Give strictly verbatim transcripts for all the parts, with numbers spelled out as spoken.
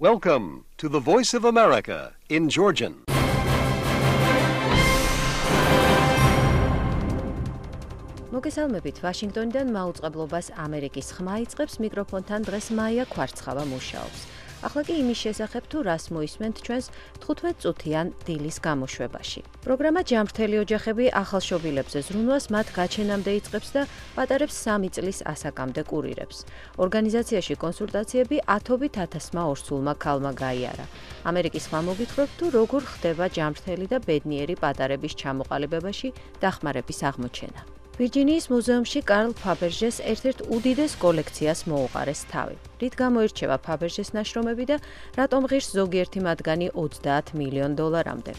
Welcome to the Voice of America in Georgian. მოგესალმებით ვაშინგტონიდან მაუწყებლობას ამერიკის ხმა იწყებს მიკროფონთან დღეს მაია ქვარცხავა მუშაობს. ახლა კი იმის შესახებ თუ რას მოისმენთ ჩვენს თხუთმეტ წუთიან დილის გამოშვებაში. პროგრამა ჯანმრთელი ოჯახები ახალშობილებზე ზრუნვას მათ გაჩენამდე იწყებს და პატარებს სამი წლის ასაკამდე კურირებს. ორგანიზაციაში კონსულტაციები ათობით ათასმა ორსულმა ქალმა გაიარა. ამერიკის ხმა მოგითხრობთ თუ როგორ ხდება ჯანმრთელი და ბედნიერი პატარების ჩამოყალიბებაში დახმარების აღმოჩენა. ვირჯინიის მუზეუმში კარლ ფაბერჟეს ერთ-ერთ უდიდეს კოლექციას მოუყარეს თავი. რით გამოირჩევა ფაბერჟეს ნაშრომები და რატომ ღირს ზოგიერთი მათგანი ოცდაათ მილიონ დოლარამდე.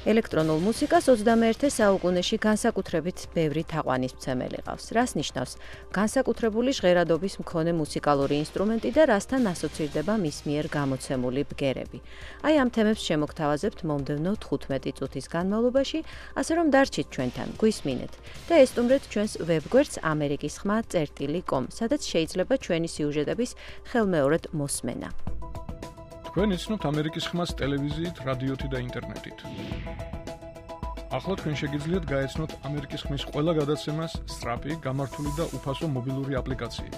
ელექტრონულ მუსიკას ოცდამეერთე საუკუნეში განსაკუთრებით ბევრი თაყვანისმცემელი ყავს. რას ნიშნავს განსაკუთრებული ჟღერადობის მქონე მუსიკალური ინსტრუმენტი და რასთან ასოცირდება მის მიერ გამოცემული ბგერები. აი ამ თემებს შემოგთავაზებთ მომდევნო თხუთმეტი წუთის განმავლობაში, ასე რომ დარჩით ჩვენთან, გვისმინეთ და ესტუმრეთ ჩვენს ვებგვერდს ამერიკის ხმა წერტილი კომ, სადაც შეიძლება ჩვენი სიუჟეტების ხელმეორედ მოსმენა. თქვენ იცნობთ ამერიკის ხმას ტელევიზიით, რადიოთი და ინტერნეტით. ახლა თქვენ შეგიძლიათ გაეცნოთ ამერიკის ხმის ყველა გადაცემას სწრაფი, გამართული და უფასო მობილური აპლიკაციით.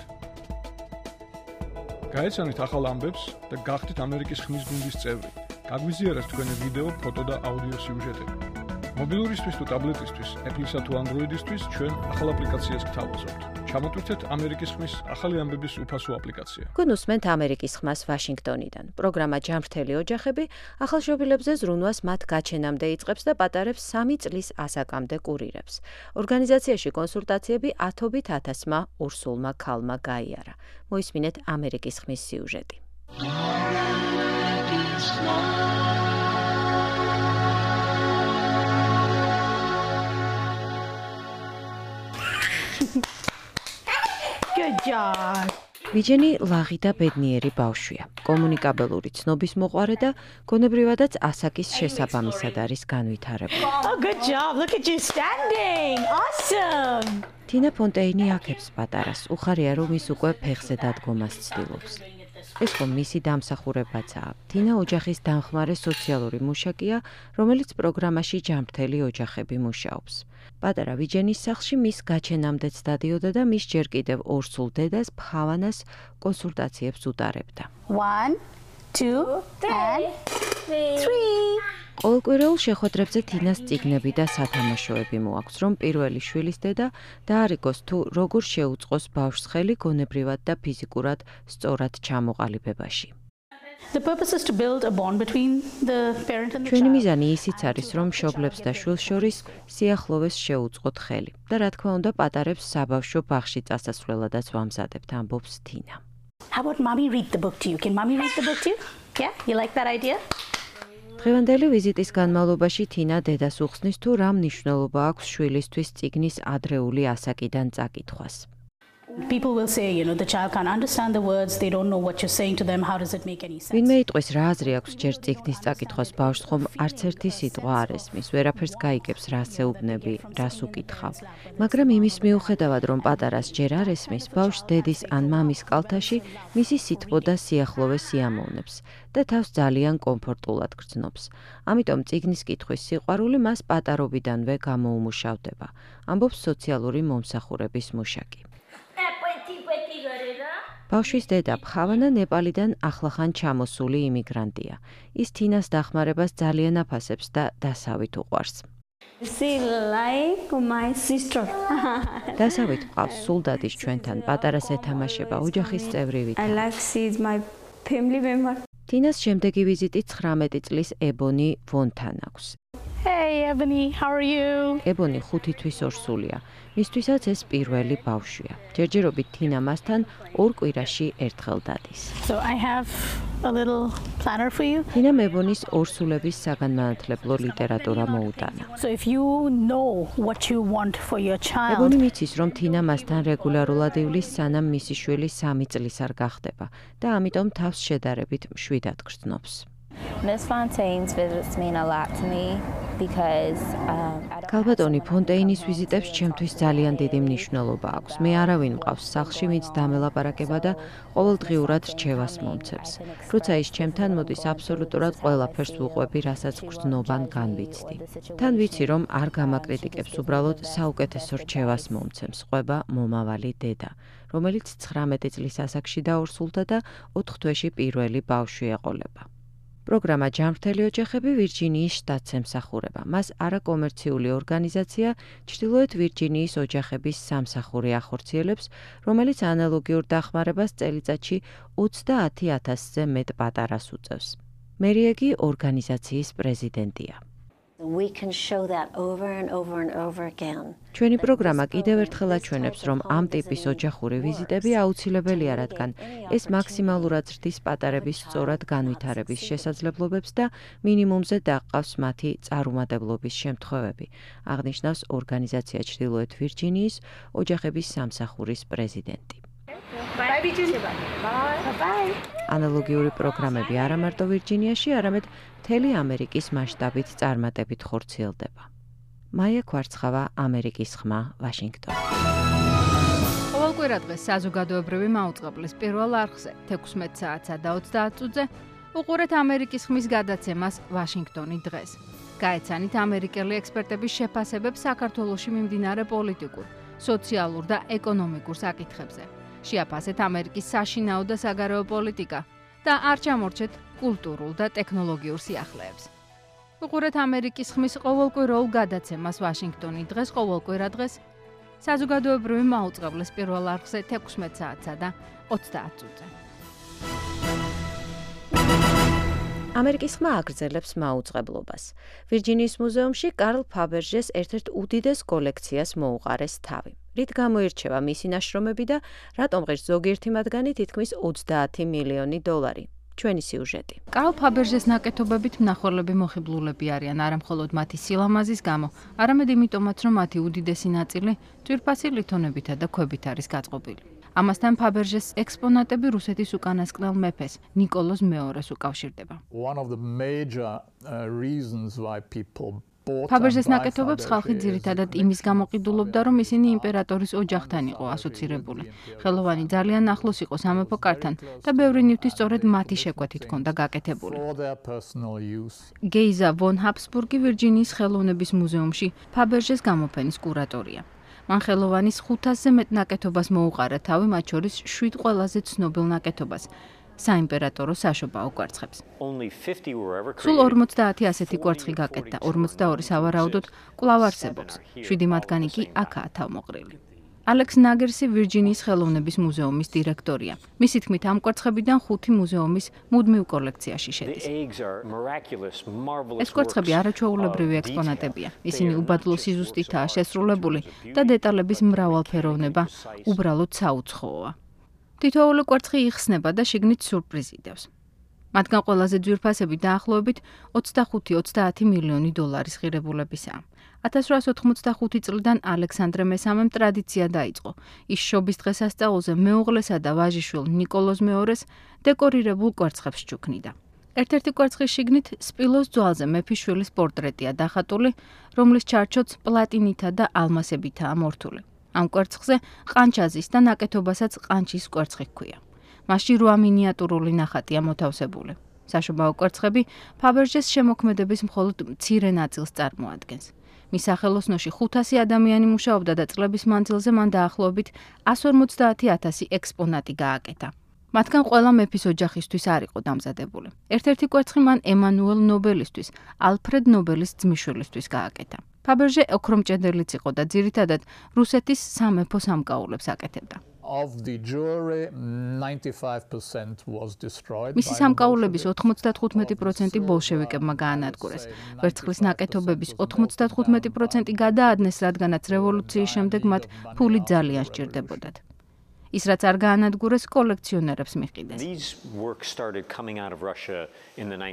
გაეცანით ახალ ამბებს და გახდით ამერიკის ხმის გუნდის წევრი. გაგვიზიარეთ თქვენი ვიდეო, ფოტო და აუდიო სიუჟეტები. მობილურისთვის თუ ტაბლეტისთვის, Apple-ისა თუ Android-ისთვის ჩვენ ახალ აპლიკაციას გთავაზობთ. ჩამოტვირთეთ ამერიკის ხმის ახალი ამბების უფასო აპლიკაცია. გუნუსმენთ ამერიკის ხმას ვაშინგტონიდან. პროგრამა ჯანმრთელი ოჯახები ახალშობილებზე ზრუნვას მათ გაჩენამდე იწყებს და პატარებს სამი წლის ასაკამდე კურირებს. ორგანიზაციაში კონსულტაციები ათობით ათასმა ორსულმა ქალმა გაიარა. მოისმინეთ ამერიკის ხმის სიუჟეტი. Good job. ვიჯენი ლაღი და ბედნიერი ბავშვია. კომუნიკაბელური ცნობის მოყვარე და გონებრივადაც ასაკის შესაბამისად არის განვითარებული. Oh, good job. Look at you standing. Awesome. თინა ფონტეინი აქებს პატარას. უხარია რომ ის უკვე ფეხზე დადგომას ცდილობს. ეს ხომ მისი დამსახურებაცაა. თინა ოჯახის დამხმარე სოციალური მუშაკია, რომელიც პროგრამაში ჯანმრთელი ოჯახები მუშაობს. პატარა ვიჯენის სახლში მის გაჩენამდეც დადიოდა და მის ჯერ კიდევ ორსულ დედას ფხავანას კონსულტაციებს უტარებდა. One, two, and three. ყოველკვირეულ შეხვედრებზე თინას წიგნები და სათამაშოები მოაქვს, რომ პირველი შვილის დედა დაარიგოს თუ როგორ შეუწყოს ბავშვს ხელი გონებრივად და ფიზიკურად სწორად ჩამოყალიბებაში. The purpose is to build a bond between the parent and the ჩვენი child. მიზანი ისიც არის, რომ მშობლებს და შვილს შორის სიახლოვეს შეუწყოთ ხელი და რა თქმა უნდა პატარებს საბავშვო ბაღში წასასვლელადაც ვამზადებთ, ამბობს თინა. How about mommy read the book to you? Can mommy read the book to you? Yeah, you like that idea? დღევანდელი ვიზიტის განმავლობაში თინა დედას უხსნის თუ რა მნიშვნელობა აქვს შვილისთვის წიგნის ადრეული ასაკიდან წაკითხვას. People will say, you know, the child can't understand the words, they don't know what you're saying to them, how does it make any sense? ვინმე იტყვის რა აზრი აქვს ჯერ წიგნის წაკითხვას ბავშვს, ხომ არც ერთი სიტყვა არ ესმის, ვერაფერს გაიგებს, რას ეუბნები, რას უკითხავ. მაგრამ იმის მიუხედავად, რომ პატარას ჯერ არ ესმის, ბავშვს დედის ან მამის კალთაში მისი სითბო და სიახლოვე სიამოვნებს და თავს ძალიან კომფორტულად გრძნობს. ამიტომ წიგნის კითხვის სიყვარული მას პატარობიდანვე გამოუმუშავდება, ამბობს სოციალური მომსახურების მუშაკი. ბავშვის დედა ფხავანა ნეპალიდან ახლახან ჩამოსული იმიგრანტია. ის თინას დახმარებას ძალიან აფასებს და დასავით უყვარს. She like my sister. დასავით ყავს სულდადის ჩვენთან პატარას ეთამაშება ოჯახის წევრივით. I like she is my family member. თინას შემდეგი ვიზიტი ცხრამეტი წლის ებონი ვონთან აქვს. Hey, Ebony, how are you? ებონი ხუთი თვის ორსულია. მისთვისაც ეს პირველი ბავშვია. ჯერჯერობით თინა მასთან ორ კვირაში ერთხელ დადის. So I have a little planner for you. თინა ებონის ორსულების საგანმანათლებლო ლიტერატურა მოუტანა. So if you know what you want for your child, ებონი მიცის, რომ თინა მასთან რეგულარულად ივლის, სანამ მისი შვილი სამი წლის არ გახდება და ამიტომ თავს შედარებით მშვიდად გრძნობს. Miss Fontaine's visits mean a lot to me. because um კალბატონი ფონტეინის ვიზიტებს ჩემთვის ძალიან დიდი მნიშვნელობა აქვს. მე არავინ მყავს სახლში, ვინც დამელაპარაკება და ყოველდღიურად რჩევას მომცემს. როცა ის ჩემთან მოდის, აბსოლუტურად ყველაფერს ვუყვები, რასაც გრძნობან განვიცდი. თან ვიცი, რომ არ გამაკრიტიკებს, უბრალოდ საუკეთესო რჩევას მომცემს. ყვება მომავალი დედა, რომელიც ცხრამეტი წლის ასაკში დაორსულდა და ოთხ თვეში პირველი ბავშვი ეყოლება. პროგრამა ჯანმრთელი ოჯახები ვირჯინიის შტატს ემსახურება. მას არაკომერციული ორგანიზაცია ჩრდილოეთ ვირჯინიის ოჯახების სამსახური ახორციელებს, რომელიც ანალოგიურ დახმარებას წელიწადში ოცდაათი ათასზე მეტ პატარას უწევს. მერიეგი ორგანიზაციის პრეზიდენტია. we can show that over and over and over again. ჩვენი პროგრამა კიდევ ერთხელ აჩვენებს, რომ ამ ტიპის ოჯახური ვიზიტები აუცილებელია, რადგან ეს მაქსიმალურად ზრდის პატარების სწორად განვითარების შესაძლებლობებს და მინიმუმზე დაყავს მათი წარუმატებლობის შემთხვევები, აღნიშნავს ორგანიზაცია ჩრდილოეთ ვირჯინიის ოჯახების სამსახურის პრეზიდენტი. ანალოგიური პროგრამები არა მარტო ვირჯინიაში, არამედ მთელი ამერიკის მასშტაბით წარმატებით ხორციელდება. მაია კვარცხავა, ამერიკის ხმა, ვაშინგტონი. ყოველკვირა დღეს საზოგადოებრივი მაუწყებლის პირველ არხზე თექვსმეტ საათსა და ოცდაათ წუთზე უყურეთ ამერიკის ხმის გადაცემას ვაშინგტონი დღეს. გაეცანით ამერიკელი ექსპერტების შეფასებებს საქართველოში მიმდინარე პოლიტიკურ, სოციალურ და ეკონომიკურ საკითხებზე. შეაფასეთ ამერიკის საშინაო და საგარეო პოლიტიკა და არ ჩამორჩეთ კულტურულ და ტექნოლოგიურ სიახლეებს. უყურეთ ამერიკის ხმის ყოველკვირეულ გადაცემას ვაშინგტონი დღეს ყოველკვირა დღეს საზოგადოებრივი მაუწყებლის პირველ არხზე თექვსმეტ საათსა და ოცდაათ წუთზე. ამერიკის ხმა აგრძელებს მაუწყებლობას. ვირჯინიის მუზეუმში კარლ ფაბერჟეს ერთ-ერთ უდიდეს კოლექციას მოუყარეს თავი. რით გამოირჩევა მისი ნაშრომები და რატომ ღირს ზოგიერთი მათგანი თითქმის ოცდაათი მილიონი დოლარი. ჩვენი სიუჟეტი. კარლ ფაბერჟეს ნაკეთობებით მნახველები მოხიბლულები არიან არა მხოლოდ მათი სილამაზის გამო, არამედ იმიტომაც, რომ მათი უდიდესი ნაწილი ძვირფასი ლითონებითა და ქვებით არის გაწყობილი. ამასთან ფაბერჟეს ექსპონატები რუსეთის უკანასკნელ მეფეს ნიკოლოზ მეორეს უკავშირდება. ფაბერჟეს ნაკეთობებს ხალხი ძირითადად იმის გამო ყიდულობდა, რომ ისინი იმპერატორის ოჯახთან იყო ასოცირებული. ხელოვანი ძალიან ახლოს იყო სამეფო კართან და ბევრი ნივთი სწორედ მათი შეკვეთით ჰქონდა გაკეთებული. გეიზა ვონ ჰაბსბურგი ვირჯინიის ხელოვნების მუზეუმში ფაბერჟეს გამოფენის კურატორია. მან ხელოვანის ხუთასზე მეტ ნაკეთობას მოუყარა თავი, მათ შორის შვიდ ყველაზე ცნობილ ნაკეთობას. საიმპერატორო საშობაო კვერცხებს. სულ ორმოცდაათი ასეთი კვერცხი გაკეთდა, ორმოცდაორი სავარაუდოდ კვლავ არსებობს. შვიდი მათგანი კი აქაა თავმოყრილი. ალექს ნაგერსი ვირჯინიის ხელოვნების მუზეუმის დირექტორია. მისი თქმით, ამ კვერცხებიდან ხუთი მუზეუმის მუდმივ კოლექციაში შედის. ეს კვერცხები არაჩვეულებრივი ექსპონატებია. ისინი უბადლო სიზუსტითაა შესრულებული და დეტალების მრავალფეროვნება უბრალოდ საუცხოოა. თითოეული კვერცხი იხსნება და შიგნით სიურპრიზი დევს. მათგან ყველაზე ძვირფასები დაახლოებით ოცდახუთი ოცდაათი მილიონი დოლარის ღირებულებისაა. ათას რვაასი ოთხმოცდახუთი წლიდან ალექსანდრე მესამემ ტრადიცია დაიწყო. ის შობის დღესასწაულზე მეუღლესა და ვაჟიშვილ ნიკოლოზ მეორეს დეკორირებულ კვერცხებს ჩუქნიდა. ერთ-ერთი კვერცხის შიგნით სპილოს ძვალზე მეფის შვილის პორტრეტია დახატული, რომლის ჩარჩოც პლატინითა და ალმასებითაა მორთული. ამ კვერცხზე ყანჩაზის და ნაკეთობასაც ყანჩის კვერცხი ჰქვია. მასში რვა მინიატურული ნახატია მოთავსებული. საშობაო კვერცხები ფაბერჟეს შემოქმედების მხოლოდ მცირე ნაწილს წარმოადგენს. მის სახელოსნოში ხუთასი ადამიანი მუშაობდა და წლების მანძილზე მან დაახლოებით εκατს ორმოცდაათი ათასი ექსპონატი გააკეთა. მათგან ყველა მეფის ოჯახისთვის არ იყო დამზადებული. ერთ-ერთი კვერცხი მან ემანუელ ნობელისთვის, ალფრედ ნობელის ძმისშვილისთვის გააკეთა. ფაბერჟე ოქრომჭედელიც იყო და ძირითადად რუსეთის სამეფო სამკაულებს აკეთებდა. მისი სამკაულების ოთხმოცდათხუთმეტი პროცენტი ბოლშევიკებმა გაანადგურეს. ვერცხლის ნაკეთობების ოთხმოცდათხუთმეტი პროცენტი გადაადნეს, რადგანაც რევოლუციის შემდეგ მათ ფული ძალიან სჭირდებოდათ. ის რაც არ გაანადგურეს კოლექციონერებს მიყიდეს.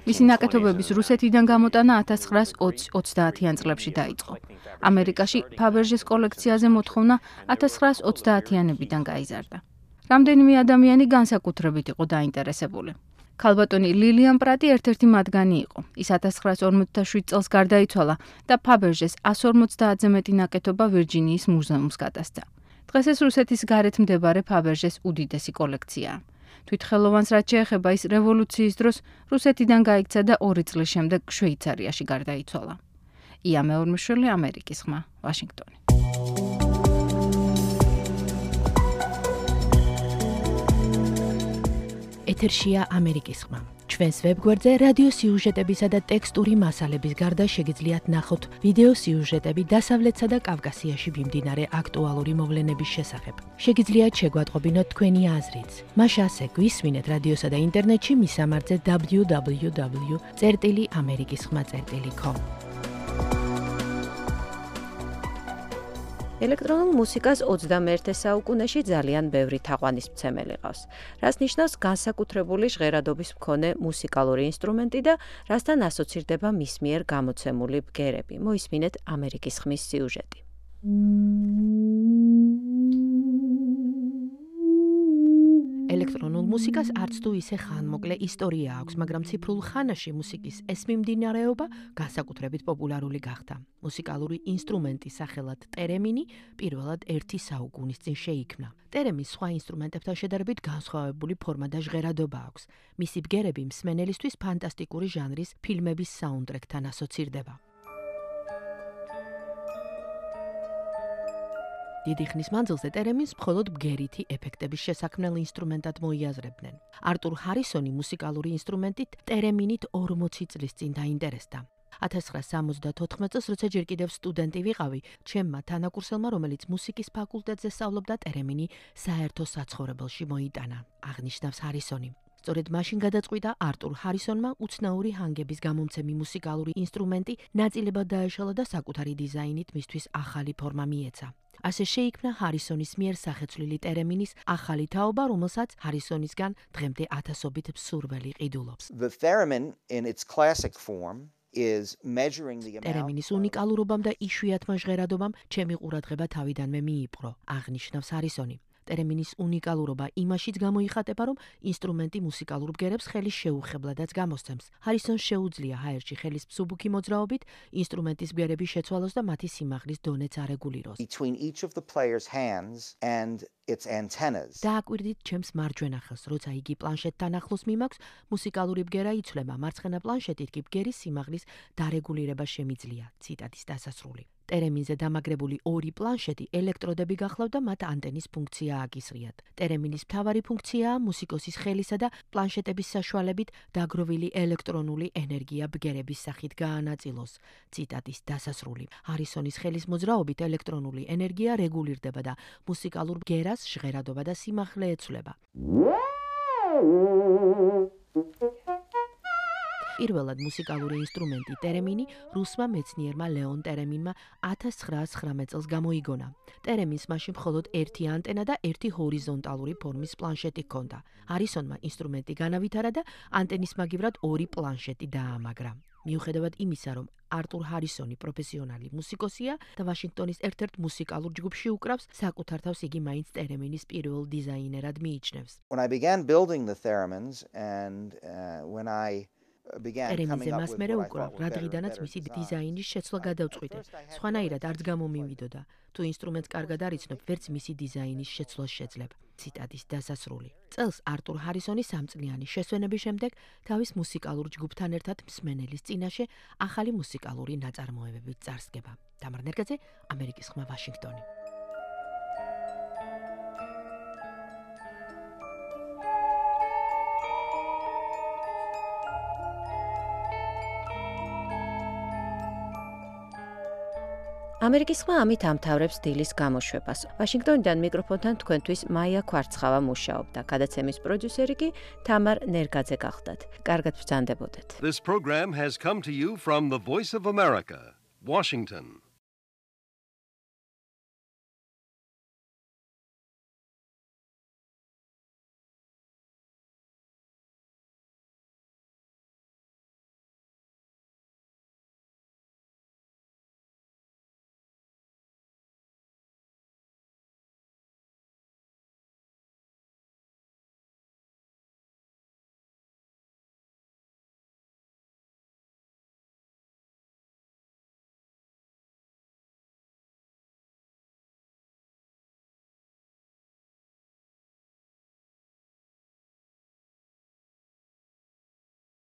მისი ნაკეთობების რუსეთიდან გამოტანა ათას ცხრაასი ოცდაათიან წლებში დაიწყო. ამერიკაში ფაბერჟეს კოლექციაზე მოთხოვნა ათას ცხრაასი ოცდაათიანებიდან გაიზარდა. რამდენიმე ადამიანი განსაკუთრებით იყო დაინტერესებული. ქალბატონი ლილიან პრატი ერთ-ერთი მათგანი იყო. ის ათას ცხრაას ორმოცდაშვიდ წელს გარდაიცვალა და ფაბერჟეს εκατს ორმოცდაათზე მეტი ნაკეთობა ვირჯინიის მუზეუმს გადასცა. დღეს ეს რუსეთის გარეთ მდებარე ფაბერჟეს უდიდესი კოლექციაა. თვითხელოვანს რაც შეეხება, ის რევოლუციის დროს რუსეთიდან გაიქცა და ორი წლის შემდეგ შვეიცარიაში გარდაიცვალა. ია მეორმიშვილი, ამერიკის ხმა, ვაშინგტონი. ეთერშია ამერიკის ხმა. ჩვენს ვებგვერდზე რადიო სიუჟეტებისა და ტექსტური მასალების გარდა შეგიძლიათ ნახოთ ვიდეო სიუჟეტები დასავლეთსა და კავკასიაში მიმდინარე აქტუალური მოვლენების შესახებ. შეგიძლიათ შეგვატყობინოთ თქვენი აზრიც. მას ასე გვისმინეთ რადიოსა და ინტერნეტში მისამართზე დაბლიუ დაბლიუ დაბლიუ წერტილი ამერიკის ხმა წერტილი კომ. ელექტრონულ მუსიკას ოცდამეერთე საუკუნეში ძალიან ბევრი თაყვანისმცემელი ყავს, რაც ნიშნავს განსაკუთრებული ჟღერადობის მქონე მუსიკალური ინსტრუმენტი და რასთან ასოცირდება მის მიერ გამოცემული ბგერები. მოისმინეთ ამერიკის ხმის სიუჟეტი. ელექტრონულ მუსიკას არც თუ ისე ხანმოკლე ისტორია აქვს, მაგრამ ციფრულ ხანაში მუსიკის ეს მიმდინარეობა განსაკუთრებით პოპულარული გახდა. მუსიკალური ინსტრუმენტის სახელად ტერემინი პირველად ერთი საუკუნის წინ შეიქმნა. ტერემინს სხვა ინსტრუმენტებთან შედარებით განსხვავებული ფორმა და ჟღერადობა აქვს. მისი ბგერები მსმენელისთვის ფანტასტიკური ჟანრის ფილმების საუნდტრეკთან ასოცირდება. დიდი ხნის მანძილზე ტერემინს მხოლოდ ბგერითი ეფექტების შესაქმნელ ინსტრუმენტად მოიაზრებდნენ. არტურ ჰარისონი მუსიკალური ინსტრუმენტით ტერემინით ორმოცი წლის წინ დაინტერესდა. ათას ცხრაას სამოცდათოთხმეტ წელს, როცა ჯერ კიდევ სტუდენტი ვიყავი, ჩემმა თანაკურსელმა, რომელიც მუსიკის ფაკულტეტზე სწავლობდა, ტერემინი საერთო საცხოვრებელში მოიტანა, აღნიშნავს ჰარისონი. სწორედ მაშინ გადაწყვიტა არტურ ჰარისონმა უცნაური ჰანგების გამომცემი მუსიკალური ინსტრუმენტი ნაწილებად დაეშალა და საკუთარი დიზაინით მისთვის ახალი ფორმა მიეცა. ასე შეიქმნა ჰარისონის მიერ სახეცვლილი ტერემინის ახალი თაობა, რომელსაც ჰარისონისგან დღემდე ათასობით მსურველი ყიდულობს. The theremin in its classic form is measuring the amount. ტერემინის უნიკალურობამ და იშვიათმა ჟღერადობამ ჩემი ყურადღება თავიდანვე მიიპყრო, აღნიშნავს ჰარისონი. ტერემინის უნიკალურობა იმაშიც გამოიხატება, რომ ინსტრუმენტი მუსიკალურ ბგერებს ხელის შეუხებლადაც გამოსცემს. ჰარისონს შეუძლია ჰაერში ხელის მსუბუქი მოძრაობით ინსტრუმენტის ბგერების შეცვალოს და მათი სიმაღლის დონეც არეგულიროს. Between each of the player's hands and its antennas. დააკვირდით ჩემს მარჯვენა ხელს, როცა იგი პლანშეტთან ახლოს მიმაქვს, მუსიკალური ბგერა იცვლება, მარცხენა პლანშეტით კი ბგერის სიმაღლის დარეგულირება შემიძლია. ციტატის დასასრული. ტერემინზე დამაგრებული ორი პლანშეტი ელექტროდები გახლავთ და მათ ანტენის ფუნქცია აკისრიათ. ტერემინის მთავარი ფუნქციაა მუსიკოსის ხელისა და პლანშეტების საშუალებით დაგროვილი ელექტრონული ენერგია ბგერების სახით გაანაწილოს. ციტატის დასასრული. ჰარისონის ხელის მოძრაობით ელექტრონული ენერგია რეგულირდება და მუსიკალურ ბგერას ჟღერადობა და სიმაღლე ეცვლება. პირველად მუსიკალური ინსტრუმენტი ტერემინი რუსმა მეცნიერმა ლეონ ტერემინმა ათას ცხრაას ცხრამეტ წელს გამოიგონა. ტერემინს მაშინ მხოლოდ ერთი ანტენა და ერთი ჰორიზონტალური ფორმის პლანშეტი ჰქონდა. ჰარისონმა ინსტრუმენტი განავითარა და ანტენის მაგივრად ორი პლანშეტი დაამაგრა. მიუხედავად იმისა, რომ არტურ ჰარისონი პროფესიონალი მუსიკოსია და ვაშინგტონის ერთ-ერთ მუსიკალურ ჯგუფში უკრავს, საკუთარ თავს იგი მაინც ტერემინის პირველ დიზაინერად მიიჩნევს. When I began building the theremins and uh, when I ტერემინზე მას მერე უკრავ, რა დღიდანაც მისი დიზაინის შეცვლა გადავწყვიტე. სხვანაირად არც გამომივიდოდა. თუ ინსტრუმენტს კარგად არიცნობ, ვერც მისი დიზაინის შეცვლას შეძლებ. ციტატის დასასრული. წელს არტურ ჰარისონი სამწლიანი შესვენების შემდეგ თავის მუსიკალურ ჯგუფთან ერთად მსმენელის წინაშე ახალი მუსიკალური ნაწარმოებებით წარსდგება. თამარ ნერგაძე, ამერიკის ხმა, ვაშინგტონი. ამერიკის ხმა ამით ამთავრებს დილის გამოშვებას. ვაშინგტონიდან მიკროფონთან თქვენთვის მაია ქვარცხავა მუშაობდა. გადაცემის პროდიუსერი კი თამარ ნერგაძე გახლდათ. კარგად ბრძანდებოდეთ. This program has come to you from the Voice of America, Washington.